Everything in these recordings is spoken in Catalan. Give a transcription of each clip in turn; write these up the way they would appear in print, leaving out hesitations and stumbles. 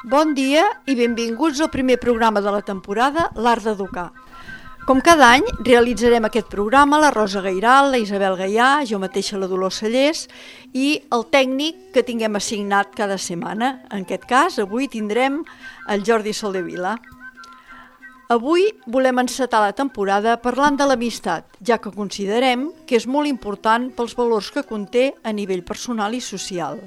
Bon dia i benvinguts al primer programa de la temporada, l'Art d'Educar. Com cada any, realitzarem aquest programa la Rosa Gairal, la Isabel Gaià, jo mateixa la Dolors Cellers i el tècnic que tinguem assignat cada setmana. En aquest cas, avui tindrem el Jordi Soldevila. Avui volem encetar la temporada parlant de l'amistat, ja que considerem que és molt important pels valors que conté a nivell personal i social.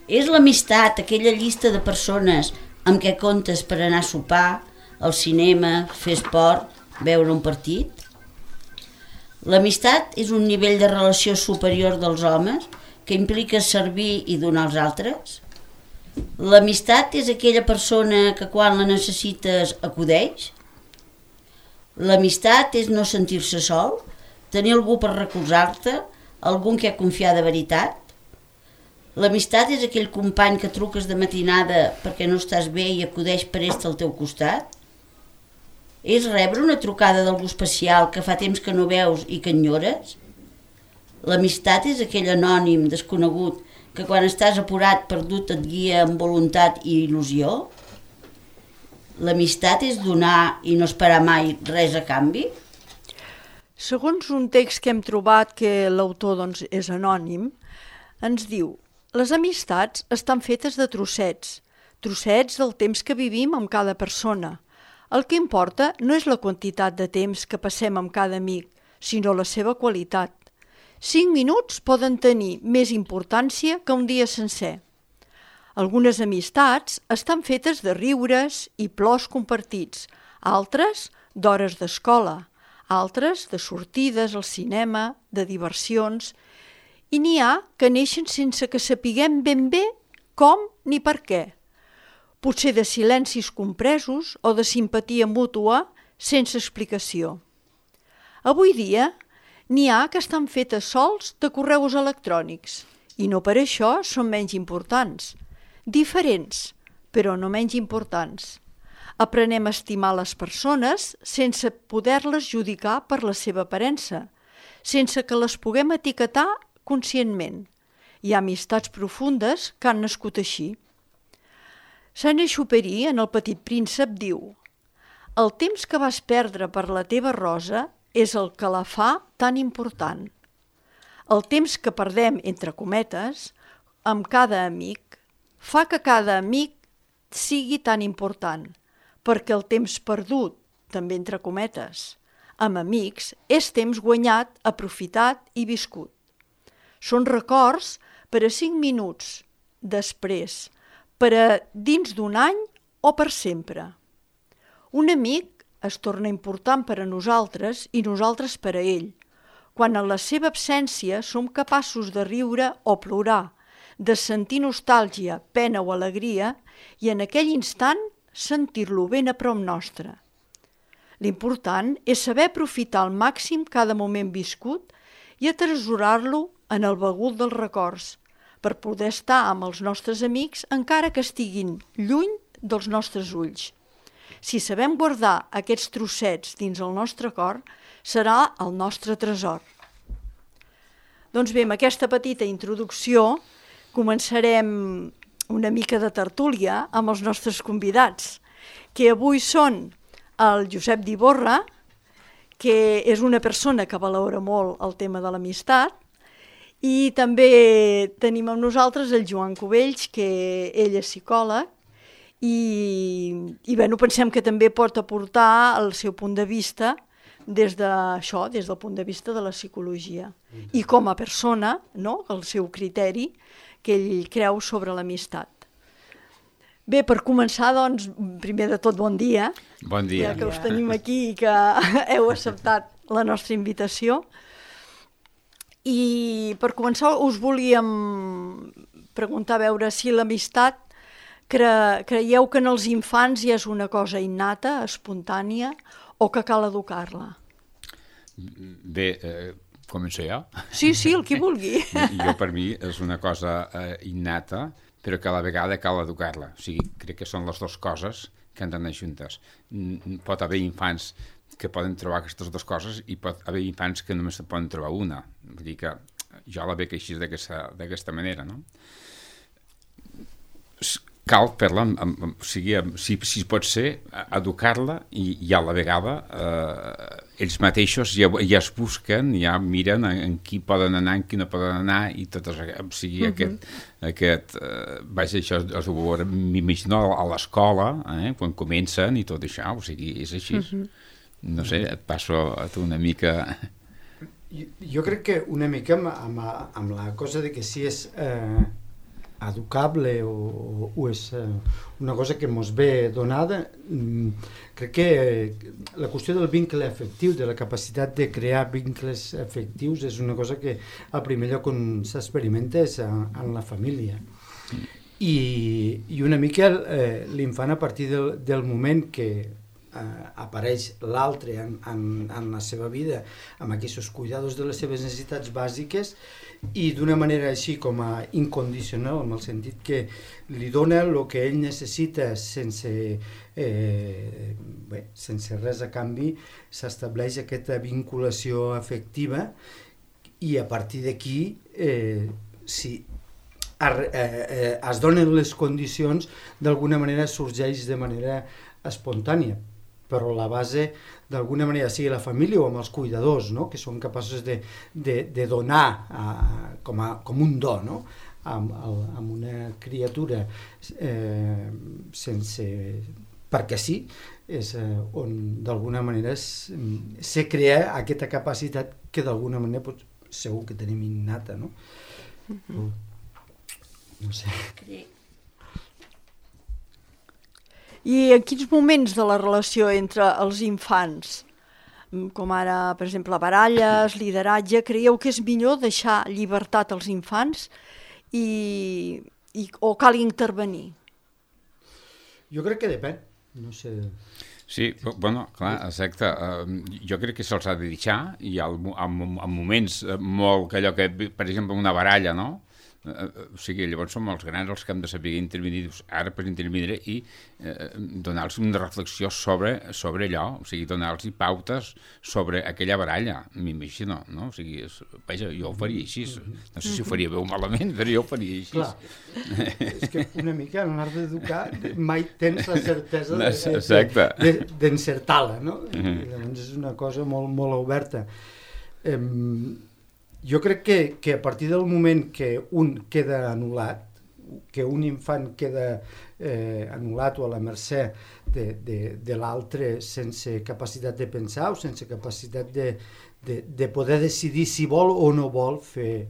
És l'amistat aquella llista de persones amb què comptes per anar a sopar, al cinema, fer esport, veure un partit? L'amistat és un nivell de relació superior dels homes que implica servir i donar als altres? L'amistat és aquella persona que quan la necessites acudeix? L'amistat és no sentir-se sol, tenir algú per recolzar-te, algú en què confiar de veritat? L'amistat és aquell company que truques de matinada perquè no estàs bé i acudeix prest al teu costat? És rebre una trucada d'algú especial que fa temps que no veus i que enyores? L'amistat és aquell anònim desconegut que quan estàs apurat, perdut, et guia amb voluntat i il·lusió? L'amistat és donar i no esperar mai res a canvi? Segons un text que hem trobat que l'autor és anònim, ens diu: les amistats estan fetes de trossets del temps que vivim amb cada persona. El que importa no és la quantitat de temps que passem amb cada amic, sinó la seva qualitat. 5 minuts poden tenir més importància que un dia sencer. Algunes amistats estan fetes de riures i plors compartits, altres d'hores d'escola, altres de sortides al cinema, de diversions, i n'hi ha que neixen sense que sapiguem ben bé com ni per què. Potser de silencis compresos o de simpatia mútua sense explicació. Avui dia n'hi ha que estan fetes sols de correus electrònics i no per això són menys importants. Diferents, però no menys importants. Aprenem a estimar les persones sense poder-les judicar per la seva aparença, sense que les puguem etiquetar conscientment. Hi ha amistats profundes que han nascut així. Saint-Exupéry, en El Petit Príncep, diu: el temps que vas perdre per la teva rosa és el que la fa tan important. El temps que perdem, entre cometes, amb cada amic, fa que cada amic sigui tan important, perquè el temps perdut, també entre cometes, amb amics, és temps guanyat, aprofitat i viscut. Són records per a 5 minuts després, per a dins d'un any o per sempre. Un amic es torna important per a nosaltres i nosaltres per a ell, quan en la seva absència som capaços de riure o plorar, de sentir nostàlgia, pena o alegria i en aquell instant sentir-lo ben a prop nostre. L'important és saber aprofitar al màxim cada moment viscut i atresorar-lo en el begut dels records, per poder estar amb els nostres amics encara que estiguin lluny dels nostres ulls. Si sabem guardar aquests trossets dins el nostre cor, serà el nostre tresor. Doncs bé, amb aquesta petita introducció començarem una mica de tertúlia amb els nostres convidats, que avui són el Josep d'Iborra, que és una persona que valora molt el tema de l'amistat, i també tenim amb nosaltres el Joan Cubells, que ell és psicòleg, i pensem que també pot aportar el seu punt de vista des del punt de vista de la psicologia. I com a persona, no? El seu criteri que ell creu sobre l'amistat. Bé, per començar, doncs, primer de tot, bon dia. Bon dia. Ja que us tenim aquí i que heu acceptat la nostra invitació. I per començar us volíem preguntar a veure si l'amistat creieu que en els infants ja és una cosa innata, espontània, o que cal educar-la? Bé, començo jo? Sí, el qui vulgui. Jo, per mi, és una cosa innata, però que a la vegada cal educar-la. O sigui, crec que són les dues coses que han d'anar juntes. Pot haver infants que poden trobar aquestes dues coses i pot haver infants que només en poden trobar una. Vull dir que jo la veig així d'aquesta manera, no? Cal fer-la, o sigui, si pot ser, educar-la i a la vegada ells mateixos ja es busquen, ja miren en qui poden anar, en qui no poden anar, i tot això, o sigui, vaja, això es ho veurà, m'imagino, a l'escola, quan comencen i tot això, o sigui, és així. No sé, et passo a tu una mica... Jo crec que una mica amb la cosa de que si és educable o és una cosa que mos ve donada, crec que la qüestió del vincle afectiu, de la capacitat de crear vincles afectius, és una cosa que al primer lloc on s'experimenta és en la família. I una mica l'infant, a partir del moment que apareix l'altre en la seva vida, amb aquests cuidados de les seves necessitats bàsiques, i d'una manera així com a incondicional, en el sentit que li dona el que ell necessita sense res a canvi, s'estableix aquesta vinculació afectiva, i a partir d'aquí si es donen les condicions, d'alguna manera sorgeix de manera espontània, però la base d'alguna manera sigui la família o amb els cuidadors, no? Que són capaços de donar com un do, no? Amb una criatura perquè sí, és on d'alguna manera se crea aquesta capacitat que d'alguna manera segur que tenim innata, no? No sé. I en quins moments de la relació entre els infants, com ara, per exemple, baralles, lideratge, creieu que és millor deixar llibertat als infants o cal intervenir? Jo crec que depèn, no sé... Sí, bueno, clar, exacte. Jo crec que se'ls ha de deixar, i en moments molt que allò que, per exemple, una baralla, no? O sigui, llavors som els grans els que hem de saber intervenir, ara per intervenir i donar-los una reflexió sobre allò, o sigui, donar-los pautes sobre aquella baralla, m'imagino, no? O sigui, vaja, jo ho faria així, no sé si ho faria bé o malament, però jo ho faria així. Clar, és que una mica en l'art d'educar mai tens la certesa d'encertar-la, no? Llavors és una cosa molt, molt oberta. Jo crec que a partir del moment que un queda anul·lat, que un infant queda anul·lat o a la mercè de l'altre sense capacitat de pensar o sense capacitat de poder decidir si vol o no vol fer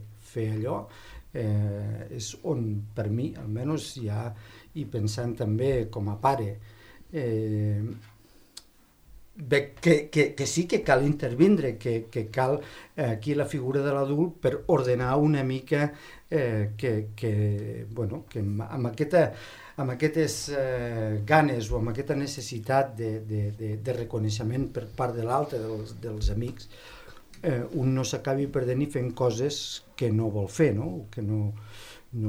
allò, és on per mi, almenys ja, i pensant també com a pare, que sí que cal intervindre, que cal aquí la figura de l'adult per ordenar una mica que amb aquestes ganes o amb aquesta necessitat de reconeixement per part de l'altre, dels amics, un no s'acabi perdent i fent coses que no vol fer, no? Que no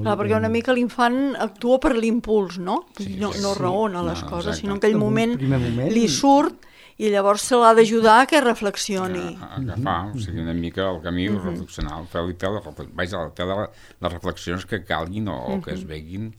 clar, perquè una mica l'infant actua per l'impuls, no? No raona les coses, sinó en aquell moment li surt i llavors se l'ha d'ajudar a que reflexioni. Agafar, o sigui, una mica el camí reflexional, fer les reflexions que calguin o que es veguin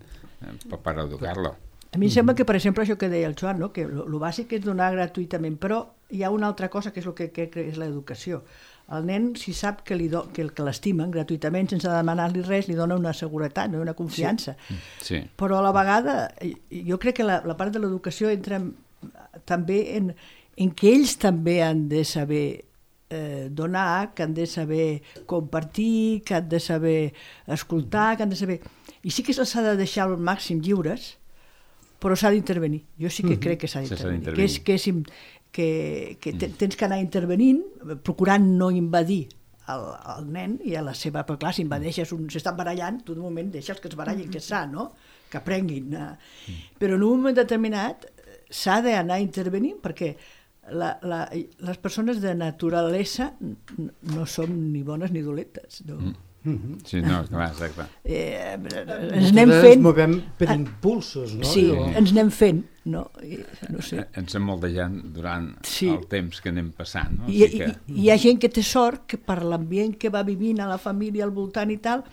per educar-la. A mi em sembla que, per exemple, això que deia el Joan, no? Que el bàsic és donar gratuïtament, però hi ha una altra cosa que és el que crec que és l'educació. El nen, si sap que l'estimen gratuïtament, sense demanar-li res, li dona una seguretat, una confiança. Sí. Però a la vegada, jo crec que la part de l'educació entra també en què ells també han de saber donar, que han de saber compartir, que han de saber escoltar, que han de saber... I sí que se'ls ha de deixar al màxim lliures, però s'ha d'intervenir. Jo sí que crec que s'ha d'intervenir. Que tens que anar intervenint, procurant no invadir el nen i a la seva... Però clar, si invadeixes, s'estan barallant, tu de moment deixes que es barallin, que és sa, no? Que aprenguin. Però en un moment determinat s'ha d'anar intervenint perquè les persones de naturalesa no som ni bones ni dolentes. No? Sí, no, clar, exacte. Ens anem fent... Ens movem per impulsos, no? Sí, ens anem fent, no? No sé. Ens hem moldejant durant el temps que anem passant, no? Hi ha gent que té sort que per l'ambient que va vivint a la família al voltant i tal,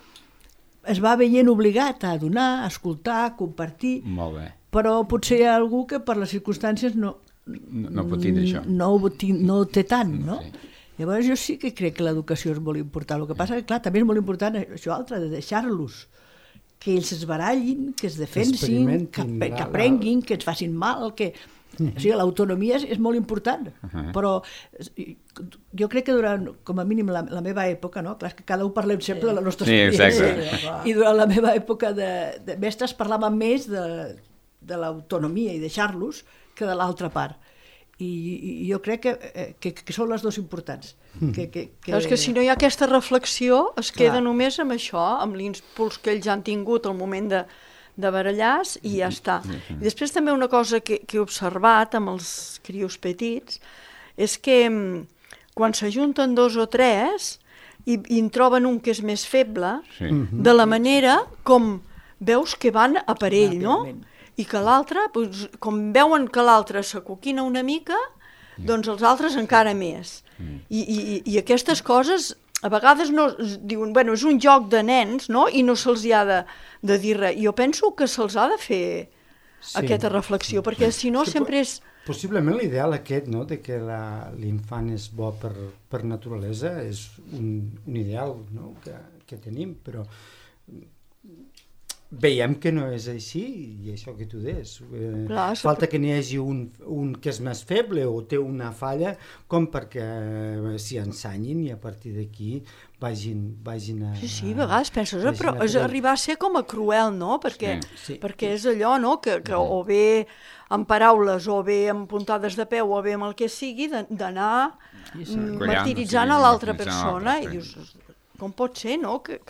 es va veient obligat a donar, a escoltar, a compartir. Molt bé. Però potser hi ha algú que per les circumstàncies no pot tindre això. No ho té tant, no? Sí. Llavors jo sí que crec que l'educació és molt important. El que passa que, clar, també és molt important això altre, de deixar-los, que ells es barallin, que es defensin, que aprenguin, que ens facin mal, que... O sigui, l'autonomia és molt important, però jo crec que durant, com a mínim, la meva època, no? Clar, que cada un parlem sempre de la nostra experiència, i durant la meva època de mestres parlàvem més de l'autonomia i deixar-los que de l'altra part. I jo crec que són les dues importants. És que si no hi ha aquesta reflexió es queda només amb això, amb l'impuls que ells han tingut al moment de barallar i ja està. I després també una cosa que he observat amb els crios petits és que quan s'ajunten 2 o 3 i en troben un que és més feble, de la manera com veus que van a per ell, no? I que l'altre, com veuen que l'altre s'acoquina una mica, doncs els altres encara més. I aquestes coses, a vegades no, diuen, bueno, és un joc de nens, no? I no se'ls ha de dir res. Jo penso que se'ls ha de fer aquesta reflexió, perquè si no sempre és... Possiblement l'ideal aquest, no?, de que l'infant és bo per naturalesa, és un ideal, no?, que tenim, però... Veiem que no és així, i això que tu deies. Falta que n'hi hagi un que és més feble o té una falla, com perquè s'hi ensanyin i a partir d'aquí vagin a... Sí, a vegades penses, però és arribar a ser com a cruel, no? Perquè és allò, no?, que o bé amb paraules, o bé amb puntades de peu, o bé amb el que sigui, d'anar martiritzant a l'altra persona, i dius... Com pot ser, no?, que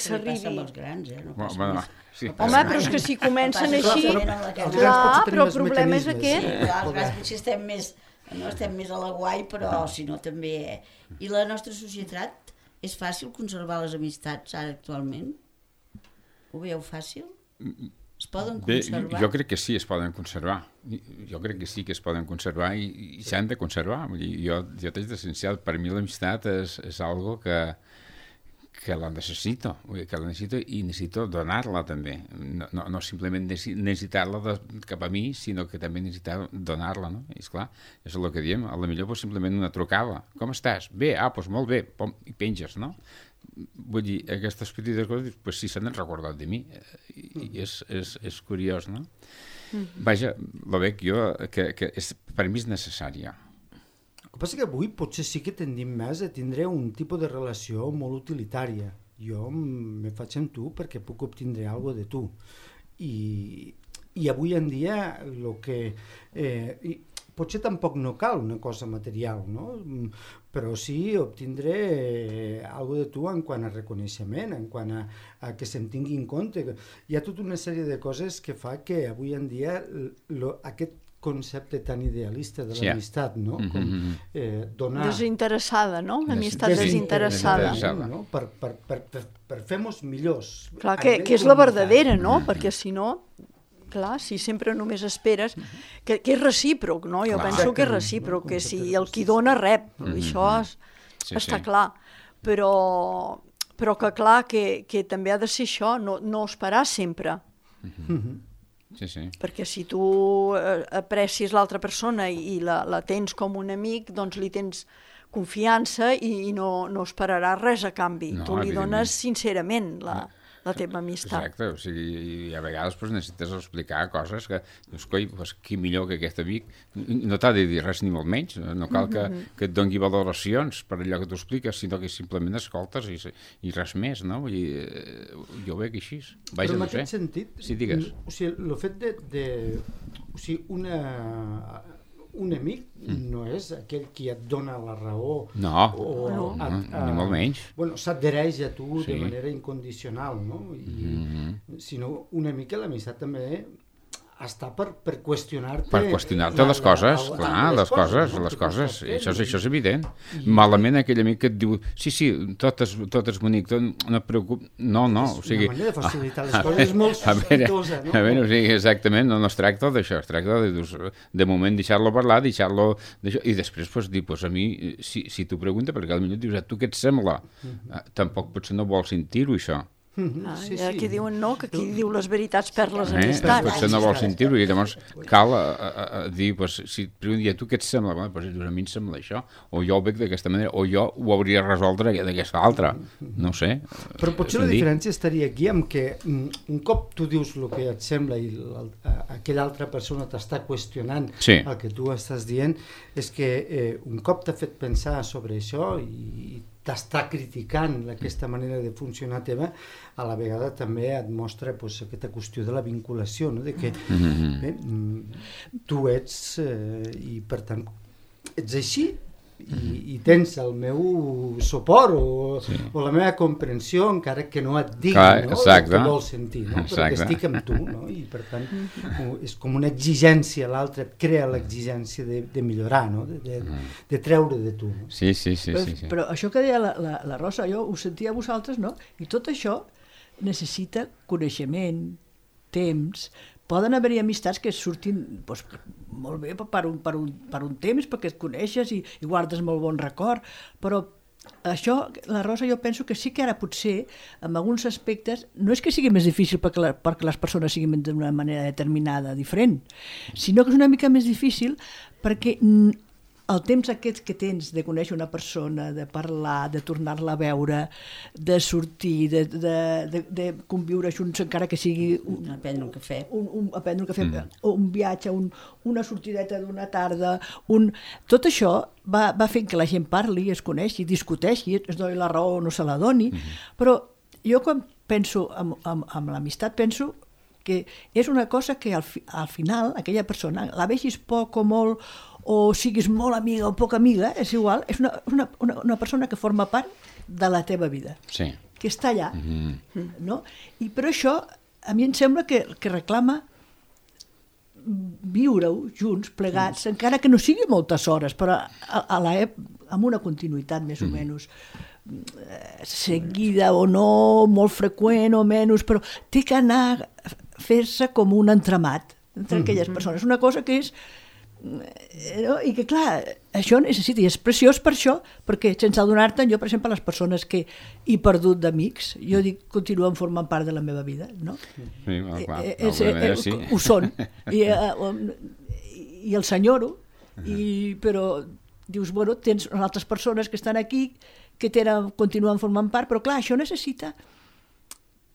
s'arribi... Passa amb els grans, no? Home, però és que si comencen així... Clar, però el problema és aquest. Els grans potser estem més a la guai, però si no també... I la nostra societat, és fàcil conservar les amistats ara actualment? Ho veieu fàcil? Es poden conservar? Jo crec que sí, es poden conservar. Jo crec que sí que es poden conservar i s'han de conservar. Vull dir, jo t'haig d'essencial. Per mi l'amistat és algo que la necessito. Vull dir, que la necessito i necessito donar-la també. No simplement necessitar-la cap a mi, sinó que també necessitar donar-la, no? I esclar, és el que diem. A la millor simplement una trucada. Com estàs? Bé, doncs molt bé. I penges, no? Vull dir, aquestes petites coses, pues sí s'han recordat de mi, i és curiós, no? Vaja, la veig jo, que per mi és necessària. El que passa que avui potser sí que tendim més a tindre un tipus de relació molt utilitària. Jo me faig amb tu perquè puc obtindre alguna cosa de tu. I avui en dia el que... potser tampoc no cal una cosa material, no? Però sí obtindre alguna de tu en quant a reconeixement, en quant a que se'm tingui en compte. Hi ha tota una sèrie de coses que fa que avui en dia aquest concepte tan idealista de l'amistat, no? Com donar... Desinteressada, no? L'amistat desinteressada. No? Per fer-nos millors. Clar, que és la verdadera, no? Perquè si no... Clar, si sempre només esperes, que és recíproc, no? Jo penso que és recíproc, que si el qui dona rep, això està clar, però que clar que també ha de ser això, no esperar sempre. Perquè si tu aprecies l'altra persona i la tens com un amic, doncs li tens confiança i no esperaràs res a canvi. Tu li dones sincerament la teva amistat. Exacte, o sigui, i a vegades necessites explicar coses que, doncs, coi, qui millor que aquest amic, no t'ha de dir res ni molt menys, no cal que et doni valoracions per allò que t'ho expliques, sinó que simplement escoltes i res més, no? Vull dir, jo ho veig així. Però en aquest sentit, sí, digues. O sigui, el fet de o sigui, un amic no és aquell qui et dona la raó. Ni molt menys. Bueno, s'adhereix a tu de manera incondicional, no? Sinó una mica l'amistat també està per qüestionar-te... Per qüestionar-te les coses, clar, les coses, això és evident. Malament aquell amic que et diu, sí, tot és bonic, no et preocupis, no, o sigui... Una manera de facilitar les coses és molt sospitosa, no? A veure, o sigui, exactament, no es tracta d'això, es tracta de moment deixar-lo parlar, deixar-lo... I després, dir, a mi, si t'ho pregunta, perquè potser dius, tu què et sembla? Tampoc potser no vols sentir-ho, això. Aquí diuen no, que aquí diu les veritats per les amistats. Potser no vol sentir-ho i llavors cal dir, si et pregunta, tu què et sembla? A mi em sembla això, o jo ho veig d'aquesta manera, o jo ho hauria de resoldre d'aquesta altra, no ho sé. Però potser la diferència estaria aquí amb que un cop tu dius el que et sembla i aquella altra persona t'està qüestionant el que tu estàs dient, és que un cop t'ha fet pensar sobre això i t'està criticant aquesta manera de funcionar teva, a la vegada també et mostra aquesta qüestió de la vinculació, no? De que tu ets i per tant ets així i tens el meu suport o la meva comprensió, encara que no et digui el que vols sentir, no? Però que estic amb tu, no? I per tant és com una exigència, l'altre et crea l'exigència de millorar, no? De treure de tu, no? Sí. Però això que deia la Rosa, jo ho sentia a vosaltres, no? I tot això necessita coneixement, temps. Poden haver-hi amistats que surtin molt bé per un temps, perquè et coneixes i guardes molt bon record, però això, la Rosa, jo penso que sí que ara potser, en alguns aspectes, no és que sigui més difícil perquè les persones siguin d'una manera determinada, diferent, sinó que és una mica més difícil perquè el temps aquest que tens de conèixer una persona, de parlar, de tornar-la a veure, de sortir, de conviure junts, encara que sigui a prendre un cafè, un viatge, una sortideta d'una tarda, tot això va fent que la gent parli, es coneixi, discuteixi, es doni la raó o no se la doni, però jo quan penso amb l'amistat penso que és una cosa que al final aquella persona, la vegis poc o molt, o siguis molt amiga o poc amiga, és igual, és una persona que forma part de la teva vida, que està allà. No? I per això a mi em sembla que reclama viure-ho junts, plegats, encara que no sigui moltes hores, però amb una continuïtat més o menys seguida o no, molt freqüent o menys, però té que anar a fer-se com un entramat entre aquelles persones. Una cosa que és i que clar, això necessita, i és preciós per això, perquè sense adonar-te'n, jo per exemple les persones que he perdut d'amics, jo dic, continuen formant part de la meva vida, no? Sí, clar, sí. Ho són i el senyoro, però dius, bueno, tens altres persones que estan aquí que continuen formant part, però clar, això necessita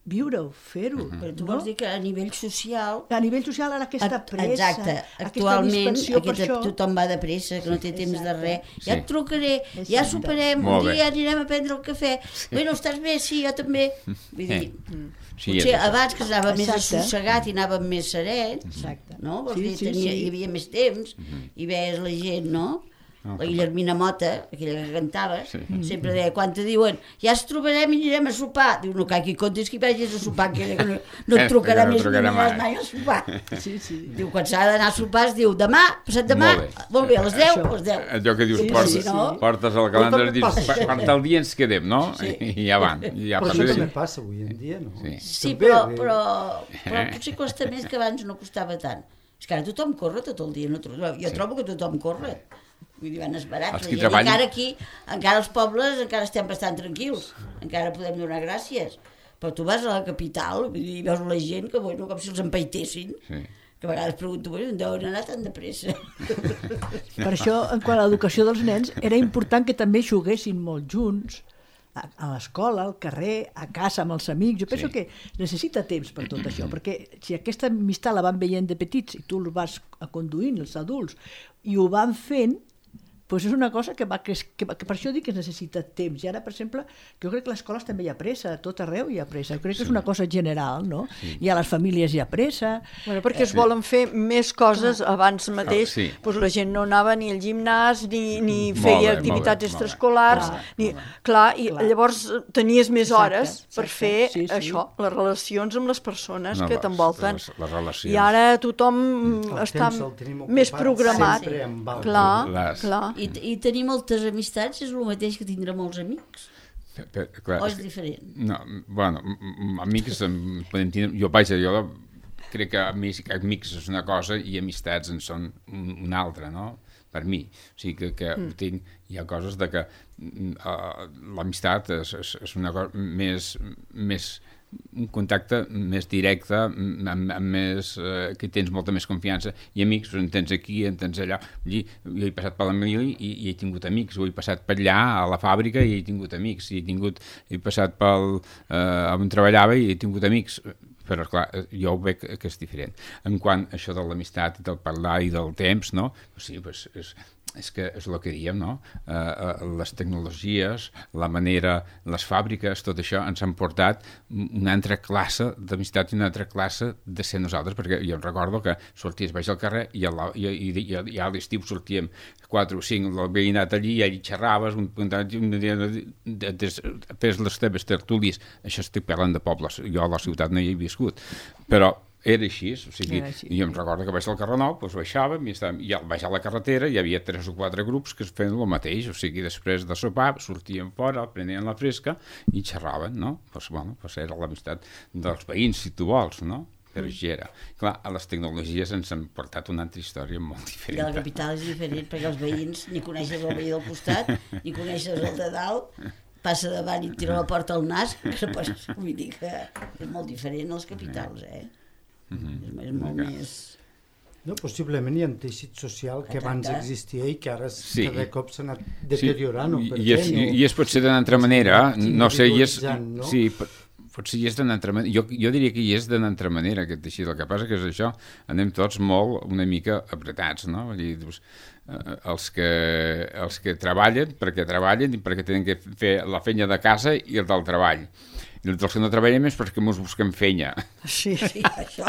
viure-ho, fer-ho. Però tu vols dir que a nivell social... A nivell social ara aquesta pressa, exacte, actualment tothom va de pressa, que no té temps de res. Ja et trucaré, ja soparem, un dia anirem a prendre el cafè. Bueno, estàs bé? Sí, jo també. Vull dir, potser abans que anava més assossegat i anàvem més serens, no? Vols dir, hi havia més temps i veies la gent, no? La Guillermina Mota, aquella que cantava, sempre deia, quan te diuen ja ens trobarem i anirem a sopar, diu, no cal que hi comptis que hi vagis a sopar, que no et trucarà més ni aniràs mai a sopar. Diu, quan s'ha d'anar a sopar es diu, demà, passat demà, molt bé, a les 10, a les 10. Allò que dius, portes el calendari i dius, per tal dia ens quedem, no? I ja van. Però això també passa avui en dia, no? Sí, però potser costa més que abans no costava tant. És que ara tothom corre tot el dia, jo trobo que tothom corre. Vull dir, van esperats. Encara aquí, encara els pobles, encara estem bastant tranquils. Encara podem donar gràcies. Però tu vas a la capital i veus la gent que, bueno, com si els empaitessin. Que a vegades pregunto, bueno, on deuen anar tan de pressa? Per això, en quant a l'educació dels nens, era important que també juguessin molt junts, a l'escola, al carrer, a casa amb els amics. Jo penso que necessita temps per tot això, perquè si aquesta amistat la van veient de petits i tu els vas conduint, els adults, i ho van fent, doncs és una cosa que per això dic que es necessita temps. I ara, per exemple, jo crec que a les escoles també hi ha pressa, a tot arreu hi ha pressa. Jo crec que és una cosa general, no? I a les famílies hi ha pressa. Bueno, perquè es volen fer més coses abans mateix. Doncs la gent no anava ni al gimnàs, ni feia activitats extraescolars. Clar, i llavors tenies més hores per fer això, les relacions amb les persones que t'envolten. I ara tothom està més programat. Clar. I tenir moltes amistats és el mateix que tindre molts amics? Clar, o és diferent? No, bueno, amics podem tindre... Jo crec que amics és una cosa i amistats en són una altra, no? Per mi. O sigui que hi ha coses de que l'amistat és una cosa més un contacte més directe, que tens molta més confiança, i amics, en tens aquí, en tens allà. Jo he passat per la Mili i he tingut amics, o he passat per allà a la fàbrica i he tingut amics, he passat on treballava i he tingut amics, però clar, jo ho veig que és diferent. En quant a això de l'amistat i del parlar i del temps, no? Sí, és que és el que diem, no? Les tecnologies, la manera, les fàbriques, tot això ens han portat una altra classe d'amistat i una altra classe de ser nosaltres, perquè jo recordo que sorties baix al carrer i a l'estiu sortíem 4 o 5 del veïnat allí i allí xerraves, fes les teves tertúlies. Això estic parlant de pobles, jo a la ciutat no hi he viscut, però era així, o sigui, jo em recordo que baix al carrer Nou, doncs baixàvem i al baixar la carretera hi havia 3 o 4 grups que es feien el mateix, o sigui, després de sopar sortien fora, prenien la fresca i xerraven, no? Doncs era l'amistat dels veïns, si tu vols, no? Però així era. Clar, a les tecnologies ens han portat una altra història molt diferent. I a la capital és diferent, perquè els veïns ni coneixes el veí del costat, ni coneixes el de dalt, passa davant i tira la porta al nas, vull dir que és molt diferent als capitals, és molt més... No, possiblement hi ha un teixit social que abans existia i que ara cada cop s'ha anat deteriorant. I és potser d'una altra manera, no sé, sí, potser hi és d'una altra manera, jo diria que hi és d'una altra manera aquest teixit, el que passa que és això, anem tots molt una mica apretats, no? Vull dir, els que treballen perquè treballen i perquè tenen que fer la feina de casa i el del treball. I els que no treballem és perquè ens busquem feina. Sí, això.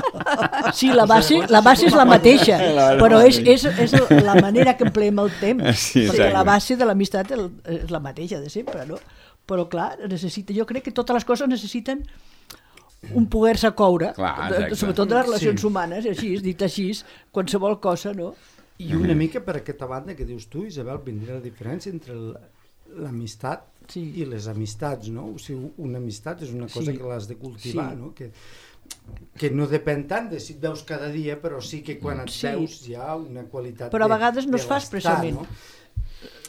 Sí, la base és la mateixa, però és la manera que empleem el temps, perquè la base de l'amistat és la mateixa de sempre, no? Però clar, jo crec que totes les coses necessiten un poder-se coure, sobretot de les relacions humanes, dit així, qualsevol cosa, no? I una mica per aquesta banda que dius tu, Isabel, vindria la diferència entre l'amistat i les amistats, no? O sigui, una amistat és una cosa que l'has de cultivar, no? Que no depèn tant de si et veus cada dia, però sí que quan et veus hi ha una qualitat però a vegades no es fa expressament.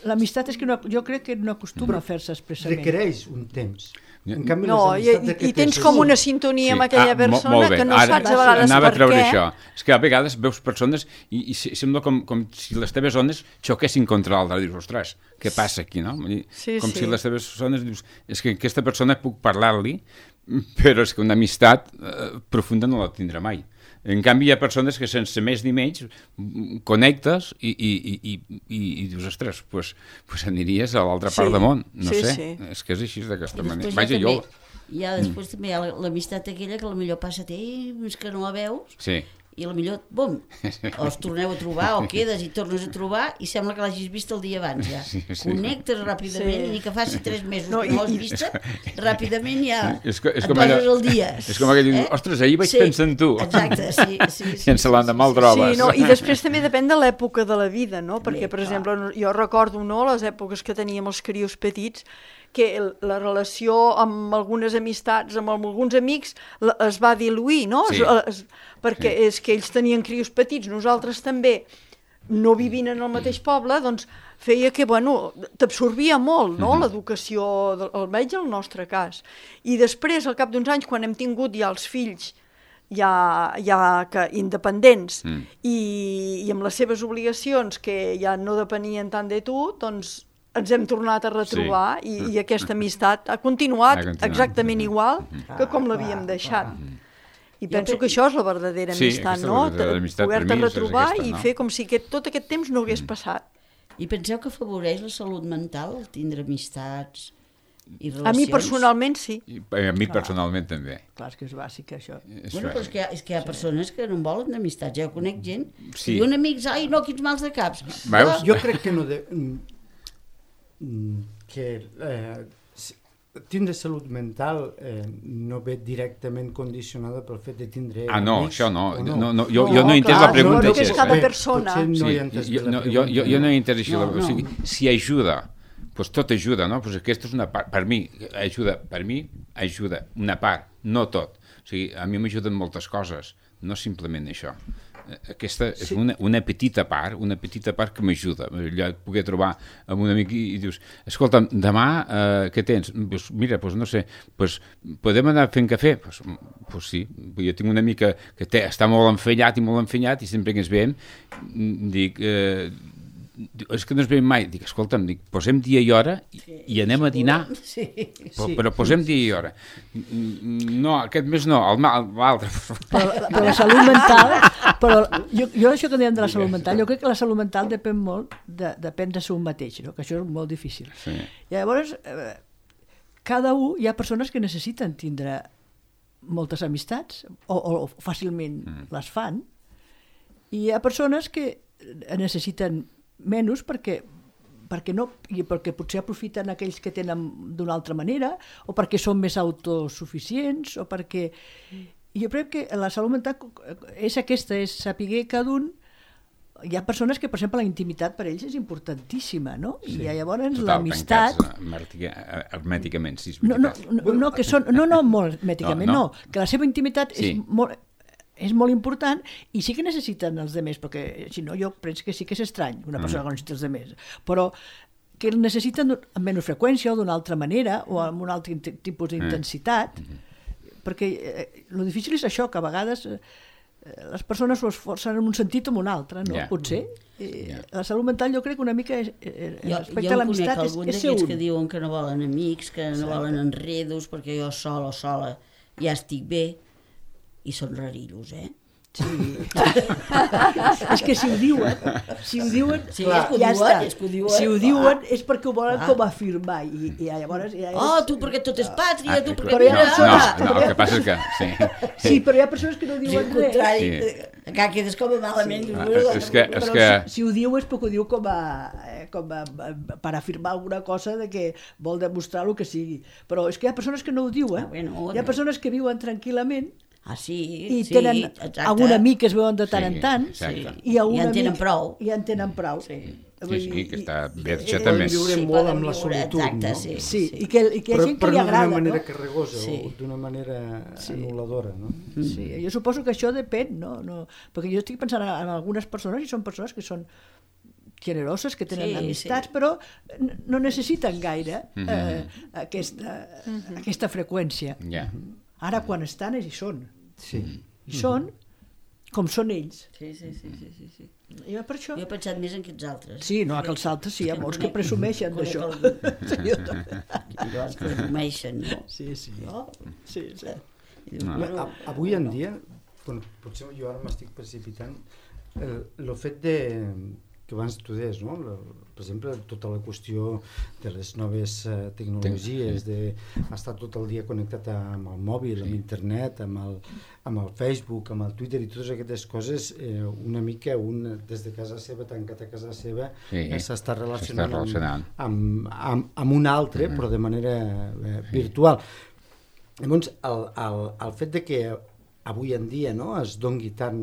L'amistat és que jo crec que no acostuma a fer-se expressament. Requereix un temps. No, i tens com una sintonia amb aquella persona que no saps a vegades anava per a treure què. Això. És que a vegades veus persones i sembla com si les teves ones xoquessin contra l'altre. Dius, ostres, què passa aquí, no? Com si les teves ones dius, és que aquesta persona puc parlar-li, però és que una amistat profunda no la tindrà mai. En canvi, hi ha persones que sense més ni menys connectes i dius, ostres, doncs aniries a l'altra part del món. No sé, és que és així d'aquesta manera. Vaja, jo... Després també hi ha l'amistat aquella que potser passa temps que no la veus i potser, bum, o es torneu a trobar o quedes i tornes a trobar i sembla que l'hagis vist el dia abans ja. Connectes ràpidament i ni que faci 3 mesos que no l'has vista, ràpidament ja et poses el dia. És com aquell, ostres, ahir vaig pensar en tu. Exacte, sí. Sense l'endemà el trobes. Sí, no, i després també depèn de l'època de la vida, no? Perquè, per exemple, jo recordo les èpoques que teníem els crios petits, que la relació amb algunes amistats, amb alguns amics, es va diluir, no? Perquè és que ells tenien crios petits, nosaltres també, no vivint en el mateix poble, doncs feia que, t'absorbia molt, no?, l'educació, almenys el nostre cas. I després, al cap d'uns anys, quan hem tingut ja els fills ja independents i amb les seves obligacions, que ja no depenien tant de tu, doncs ens hem tornat a retrobar i aquesta amistat ha continuat exactament igual que com l'havíem deixat. I penso que això és la verdadera amistat, no? Poder-te retrobar i fer com si tot aquest temps no hagués passat. I penseu que afavoreix la salut mental, tindre amistats i relacions? A mi personalment sí. I a mi personalment també. Clar, és que és bàsic, això. Bueno, però és que hi ha persones que no en volen d'amistats. Jo conec gent que Sí. diuen amics, ai, no, quins mals de caps. Veus? Jo crec que no... Tindre salut mental no ve directament condicionada pel fet de tindre No, amics, això no. o Jo no he entès la pregunta. no, que és així, cada eh? persona. Potser no Sí, he entès bé la jo no he entès així. No, O sigui, si ajuda, doncs tot ajuda, no? Doncs aquesta és una part, per mi ajuda una part, no tot. O sigui, a mi m'ajuden moltes coses, no simplement això. Aquesta és una petita part que m'ajuda. Allò et poder trobar amb un amic i dius, escolta'm, demà què tens? Pues mira, pues no sé, pues podem anar fent cafè? Pues sí, jo tinc una amica que està molt enfanyat i sempre que ens veiem dic, és que no ens veiem mai. Dic, escolta'm, posem dia i hora i anem a dinar. Sí. Però posem dia i hora. No, aquest mes no, l'altre. Però la salut mental... Però jo això que dèiem de la salut mental, jo crec que la salut mental depèn molt depèn de ser un mateix, no? Que això és molt difícil. Sí. I llavors, cada un, hi ha persones que necessiten tindre moltes amistats o fàcilment les fan, i hi ha persones que necessiten menys perquè potser aprofiten aquells que tenen d'una altra manera, o perquè són més autosuficients, o perquè... Jo crec que la salut mental és aquesta, és saber cada un... Hi ha persones que, per exemple, la intimitat per ells és importantíssima, no? Sí. I llavors Total, l'amistat... hermèticament, sí, és No, molt hermèticament, no. Que la seva intimitat Sí. és molt important, i sí que necessiten els demés, perquè si no jo penso que sí que és estrany una persona que necessita els demés, però que el necessiten amb menys freqüència o d'una altra manera o amb un altre tipus d'intensitat, perquè el difícil és això, que a vegades les persones ho esforcen en un sentit o en un altre, no? Potser. La salut mental jo crec que una mica respecte a l'amistat és ser un. Jo conec algun d'aquests que diuen que no volen amics, que no volen enredos, perquè jo sol o sola ja estic bé, i són rarillos, Sí. És que si ho diuen, Sí, és que ho ja diuen, està. és que ho diuen. Si ho diuen és perquè ho volen com afirmar, i llavors... Oh, tu perquè tot és pàtria, tu perquè... Però hi ha persones- No, el que passa és que... Sí, però hi ha persones que no Sí, diuen al res. contrari, que quedes com a malament. És que... Però si ho diu és perquè ho diu com a per afirmar alguna cosa de que vol demostrar el que sigui. Però és que hi ha persones que no ho diuen. Hi ha persones que viuen tranquil·lament sí, i tenen algun amic que es veuen de tant en tant, i en tenen prou. I en tenen prou. Sí, que està bé, això Poden també. viure molt amb la solitud, exacte, no? Sí, i que hi ha gent que li agrada, però no d'una manera no? carregosa o d'una manera anul·ladora, no? Sí, jo suposo que això depèn, no? Perquè jo estic pensant en algunes persones, i són persones que són generoses, que tenen amistats, però no necessiten gaire aquesta freqüència. Ara, quan estan, hi són. Sí. I són com són ells. Sí. Jo per això... Jo he pensat més en aquests altres. Sí, no, que els altres sí, hi ha molts que presumeixen d'això. Els presumeixen, no? Sí. Sí. Avui en dia, potser jo ara m'estic precipitant, el fet que abans tu deies, no? Per exemple, tota la qüestió de les noves tecnologies, d'estar tot el dia connectat amb el mòbil, amb internet, amb el Facebook, amb el Twitter i totes aquestes coses, una mica des de casa seva, tancat a casa seva, s'està relacionant amb un altre, però de manera virtual. Llavors, el fet de que avui en dia es dongui tan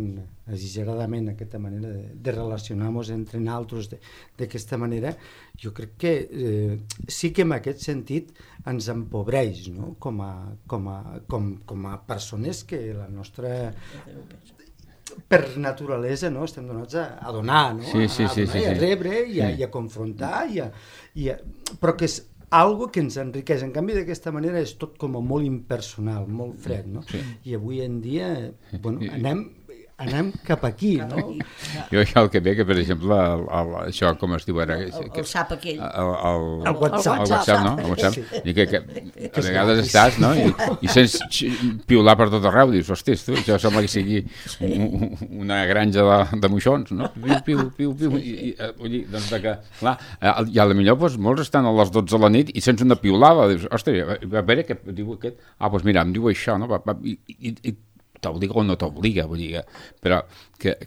exageradament aquesta manera de relacionar-nos entre nosaltres d'aquesta manera, jo crec que sí que en aquest sentit ens empobreix, no? com a persones que la nostra... per naturalesa estem donats a donar, a rebre i a confrontar, però que és algo que ens enriqueix. En canvi, d'aquesta manera és tot com a molt impersonal, molt fred, no? I avui en dia, anem anem cap aquí, no? Jo el que ve, que per exemple, això com es diu ara? El sap aquell. El WhatsApp. El WhatsApp, no? El WhatsApp. Sí. I que a vegades estàs, no? I sents piular per tot arreu, dius, hòsties, tu, això sembla que sigui una granja de moixons, no? Piu. Doncs que, clar, i a la millor molts estan a les 12 de la nit i sents una piulada, dius, hòstia, a veure què diu aquest? Doncs mira, em diu això, no? I t'obliga o no t'obliga, vull dir, però que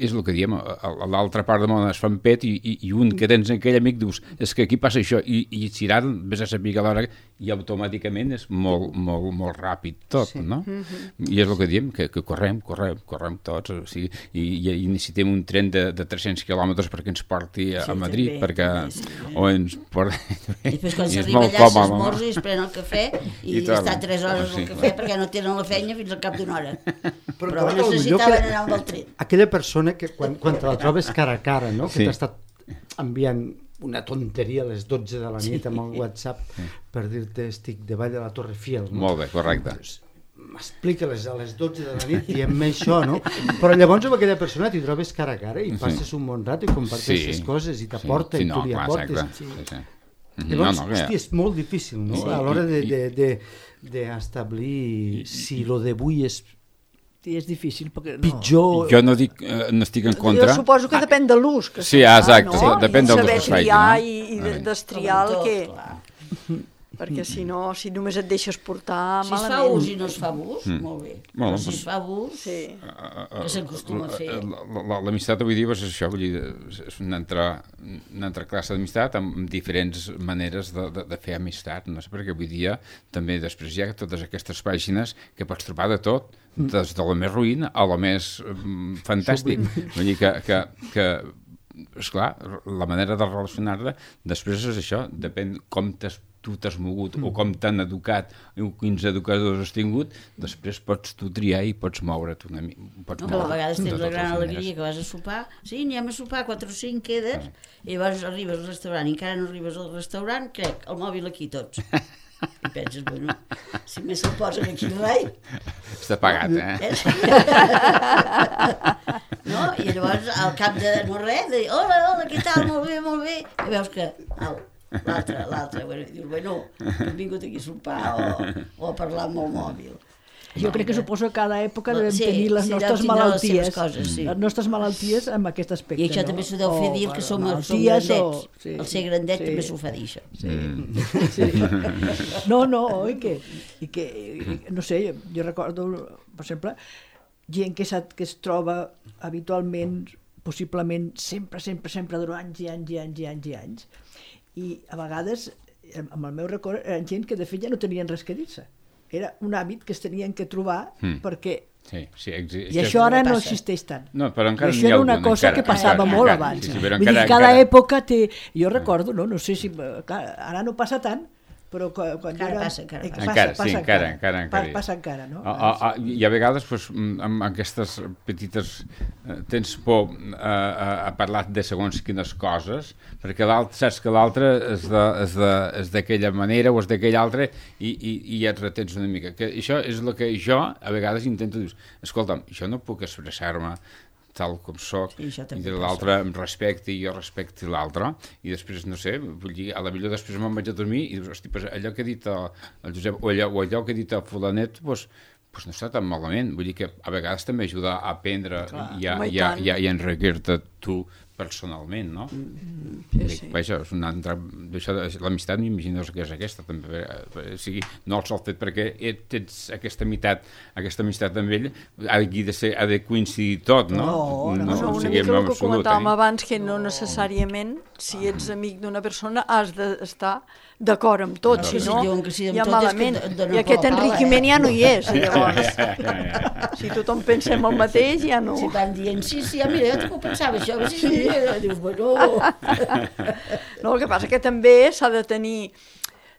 és el que diem, a l'altra part del món es fan pet i un que tens aquell amic dius, és que aquí passa això, i si ara vés a saber que l'hora i automàticament és molt ràpid tot, no? I és el que diem, que correm tots, o sigui, i necessitem un tren de 300 quilòmetres perquè ens porti a Madrid, perquè o ens porti... I després quan s'arriba allà s'esmorza i es pren el cafè i està 3 hores al cafè perquè no tenen la feina fins al cap d'una hora. Però necessitaven anar amb el tren. Aquella persona que quan te la trobes cara a cara, no? Que t'ha estat enviant una tonteria a les 12 de la nit amb el WhatsApp per dir-te estic davall de la Torre Eiffel. No? Molt bé, correcte. M'explica-les a les 12 de la nit diem-me això, no? Però llavors amb aquella persona t'hi trobes cara a cara i passes un bon rato i comparteixes coses i t'aporta i tu li aportes. Llavors, hosti, és molt difícil, no? A l'hora d'establir si lo d'avui és difícil perquè pitjor... Jo no dic, no estic en contra. Jo suposo que depèn de l'ús que sí, exacte, no? Depèn del saber que es faci, triar no? i destriar el que... Perquè si no, si només et deixes portar si malament... Si es fa ús i no es fa abús, molt bé. Però si es fa abús, que s'acostuma a fer. L'amistat avui dia és això, vull dir, és una altra classe d'amistat amb diferents maneres de fer amistat, no sé, perquè avui dia també després hi ha totes aquestes pàgines que pots trobar de tot, des de la més ruïn a la més fantàstic. Vull dir que esclar, la manera de relacionar-te després és això, depèn com tu t'has mogut o com t'han educat o quins educadors has tingut, després pots tu triar i pots moure't una mica. No, a vegades tens la gran alegria que vas a sopar, sí, anem a sopar, 4 o 5 quedes, i llavors arribes al restaurant i encara no arribes al restaurant, crec, el mòbil aquí tots. I penses, bueno, si més se'l posen aquí el rei... Està pagat, No? I llavors, al cap de no res, de dir, hola, què tal, molt bé, i veus que, l'altre, bueno, hem vingut aquí a sopar o a parlar amb el mòbil. Jo crec que suposo que cada època devem tenir les nostres malalties, les nostres malalties amb aquest aspecte. I això també s'ho deu fer dir que som grandets. El ser grandet també s'ho fa dir, això. No, i que no sé, jo recordo, per exemple, gent que es troba habitualment, possiblement, sempre durant anys, i a vegades, amb el meu record, eren gent que de fet ja no tenien res que dir-se. Era un hàbit que es tenien que trobar perquè... I això ara no existeix tant. No, però encara això era una cosa que passava molt abans. Vull dir, cada època té... Jo recordo, no sé si... Ara no passa tant, però quan passa encara, no? I a vegades amb aquestes petites tens por a parlar de segons quines coses, perquè saps que l'altre és d'aquella manera o és d'aquella altra i et retens una mica. Això és el que jo a vegades intento dir, escolta'm, jo no puc expressar-me tal com soc, i l'altre em respecti i jo respecti l'altre, i després, no sé, vull dir, a la millor després me'n vaig a dormir i dius, hosti, allò que ha dit el Josep o allò que ha dit el fulanet, doncs no està tan malament, vull dir que a vegades també ajuda a aprendre i a enriquir-te tu personalment, no? Vaja, és una altra... L'amistat m'imagino que és aquesta, també. O sigui, no el sol fet perquè tens aquesta amistat amb ell, ha de coincidir tot, no? No, una mica el que comentàvem abans, que no necessàriament, si ets amic d'una persona, has d'estar d'acord amb tot, si no, ja malament. I aquest enriquiment ja no hi és, llavors. Si tothom pensem el mateix, ja no. Si van dient, sí, mira, jo t'ho pensava això, sí, dius, bueno... No, el que passa que també s'ha de tenir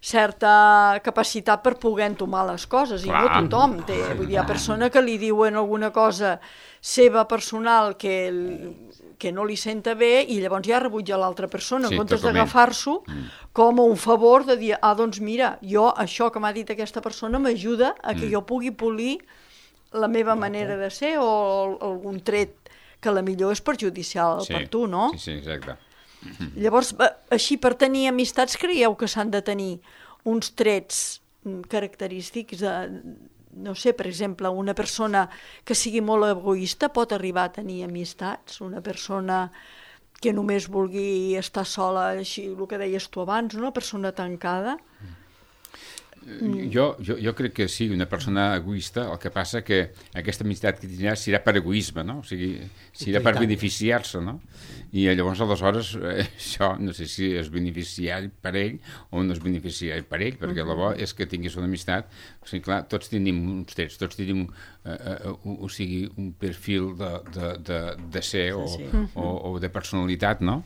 certa capacitat per poder entomar les coses, i no tothom té. Vull dir, hi ha persona que li diuen alguna cosa seva personal que no li senta bé i llavors ja rebutja l'altra persona, en comptes d'agafar-s'ho com un favor de dir, doncs mira, jo això que m'ha dit aquesta persona m'ajuda a que jo pugui polir la meva manera de ser o algun tret que a la millor és perjudicial per tu, no? Sí, exacte. Llavors, així per tenir amistats creieu que s'han de tenir uns trets característics de, no sé, per exemple, una persona que sigui molt egoista pot arribar a tenir amistats, una persona que només vulgui estar sola, així, el que deies tu abans, una persona tancada. Jo crec que sí, una persona egoista, el que passa que aquesta amistat que tindrà serà per egoisme, no? O sigui, serà per beneficiar-se, no? I llavors, aleshores, això no sé si és beneficiari per ell o no és beneficiari per ell, perquè la bo és que tinguis una amistat. O sigui, clar, tots tenim uns trets, tots tenim un perfil de ser o de personalitat, no?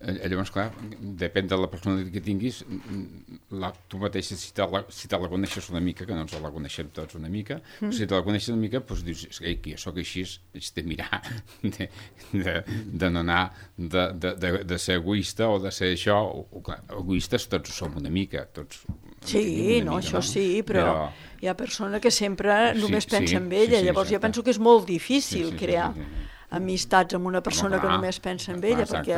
Llavors, clar, depèn de la personalitat que tinguis, tu mateixa, si te la coneixes una mica, que no ens la coneixem tots una mica, si te la coneixes una mica, doncs dius, que jo sóc així, haig de mirar, de no anar, de ser egoista o de ser això, clar, egoistes tots som una mica, tots. Sí, no, això sí, però hi ha persona que sempre només pensa en ella, llavors jo penso que és molt difícil crear amistats amb una persona que només pensa en ella, perquè...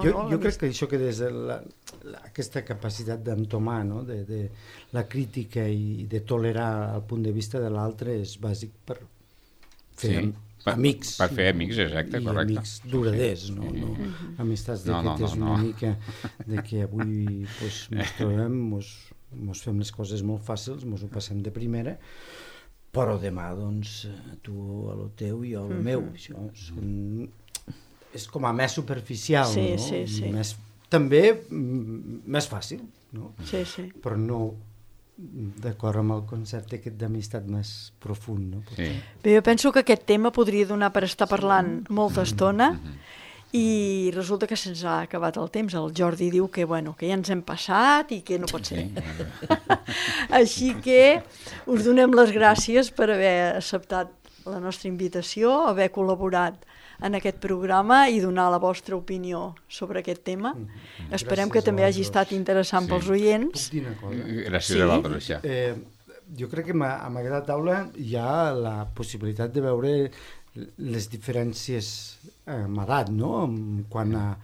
Jo crec que això que des de aquesta capacitat d'entomar, no? De la crítica i de tolerar el punt de vista de l'altre és bàsic per fer amics. Per fer amics, exacte, correcte. I amics duraders, no amistats d'aquestes una mica de que avui ens trobem, ens fem les coses molt fàcils, ens ho passem de primera, però demà, doncs, tu a lo teu i jo a lo meu. Això és com a més superficial, no? Sí. També més fàcil, no? Sí. Però no d'acord amb el concepte aquest d'amistat més profund, no? Sí. Bé, jo penso que aquest tema podria donar per estar parlant molta estona, i resulta que se'ns ha acabat el temps. El Jordi diu que, que ja ens hem passat i que no pot ser. Així que us donem les gràcies per haver acceptat la nostra invitació, haver col·laborat en aquest programa i donar la vostra opinió sobre aquest tema. Esperem que també hagi estat interessant pels oients. Puc dir una cosa? Gràcies a vosaltres, ja. Jo crec que amb aquesta taula hi ha la possibilitat de veure les diferències amb edat, no? Quant a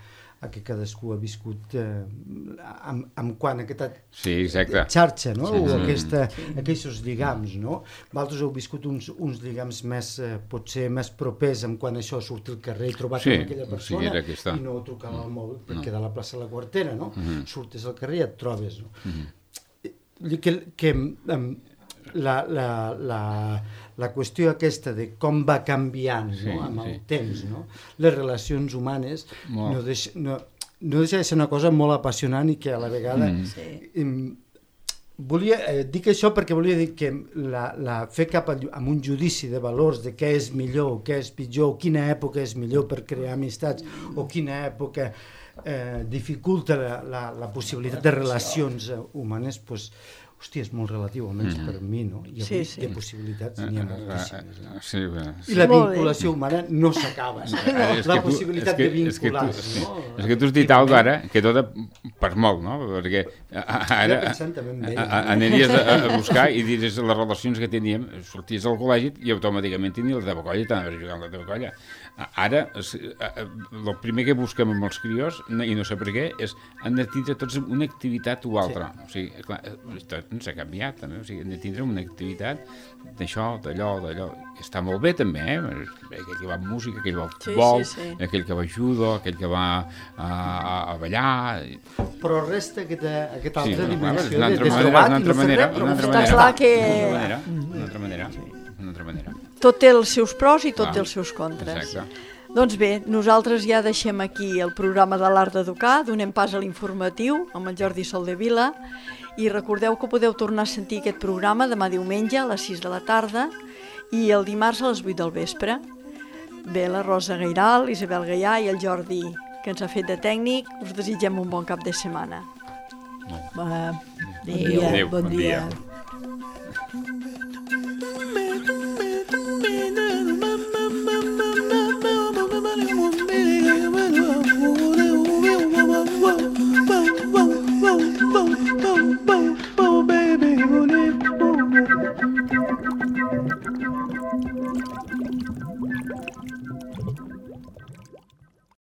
que cadascú ha viscut amb quant a aquesta xarxa, no? O aquests lligams, no? Vosaltres heu viscut uns lligams més, potser més propers amb quan això surt al carrer i trobar aquella persona i no trucar al mòbil perquè de la plaça La Quartera, no? Surtes al carrer i et trobes, no? Que la qüestió aquesta de com va canviant amb el temps, no? Les relacions humanes no deixa de ser una cosa molt apassionant i que a la vegada dic això perquè volia dir que fer cap a un judici de valors de què és millor, què és pitjor, quina època és millor per crear amistats o quina època dificulta la possibilitat de relacions humanes, doncs hòstia, és molt relatiu, almenys per mi, no? I avui de possibilitats n'hi ha moltíssimes. I la vinculació humana no s'acaba. La possibilitat de vincular-se, no? És que tu has dit alguna cosa ara que tot per molt, no? Perquè ara aniries a buscar i diries les relacions que teníem, sorties al col·legi i automàticament tenies la teva colla i t'anaves a jugar amb la teva colla. Ara, el primer que busquem amb els crios, i no sé per què, és han de tindre tots una activitat o altra. O sigui, clar, no s'ha canviat, també. O sigui, han de tindre una activitat d'això, d'allò. Està molt bé, també, aquell que va amb música, aquell que va al futbol, aquell que va a judo, aquell que va a ballar... Però resta aquesta altra dimensió de trobar i no fer res. Està clar que... Una altra manera. Tot té els seus pros i tot té els seus contres. Exacte. Doncs bé, nosaltres ja deixem aquí el programa de l'Art d'Educar, donem pas a l'informatiu amb el Jordi Soldevila i recordeu que podeu tornar a sentir aquest programa demà diumenge a les 6 de la tarda i el dimarts a les 8 del vespre. Bé, la Rosa Gairal, Isabel Gaià i el Jordi, que ens ha fet de tècnic, us desitgem un bon cap de setmana. Bon dia. Bon dia.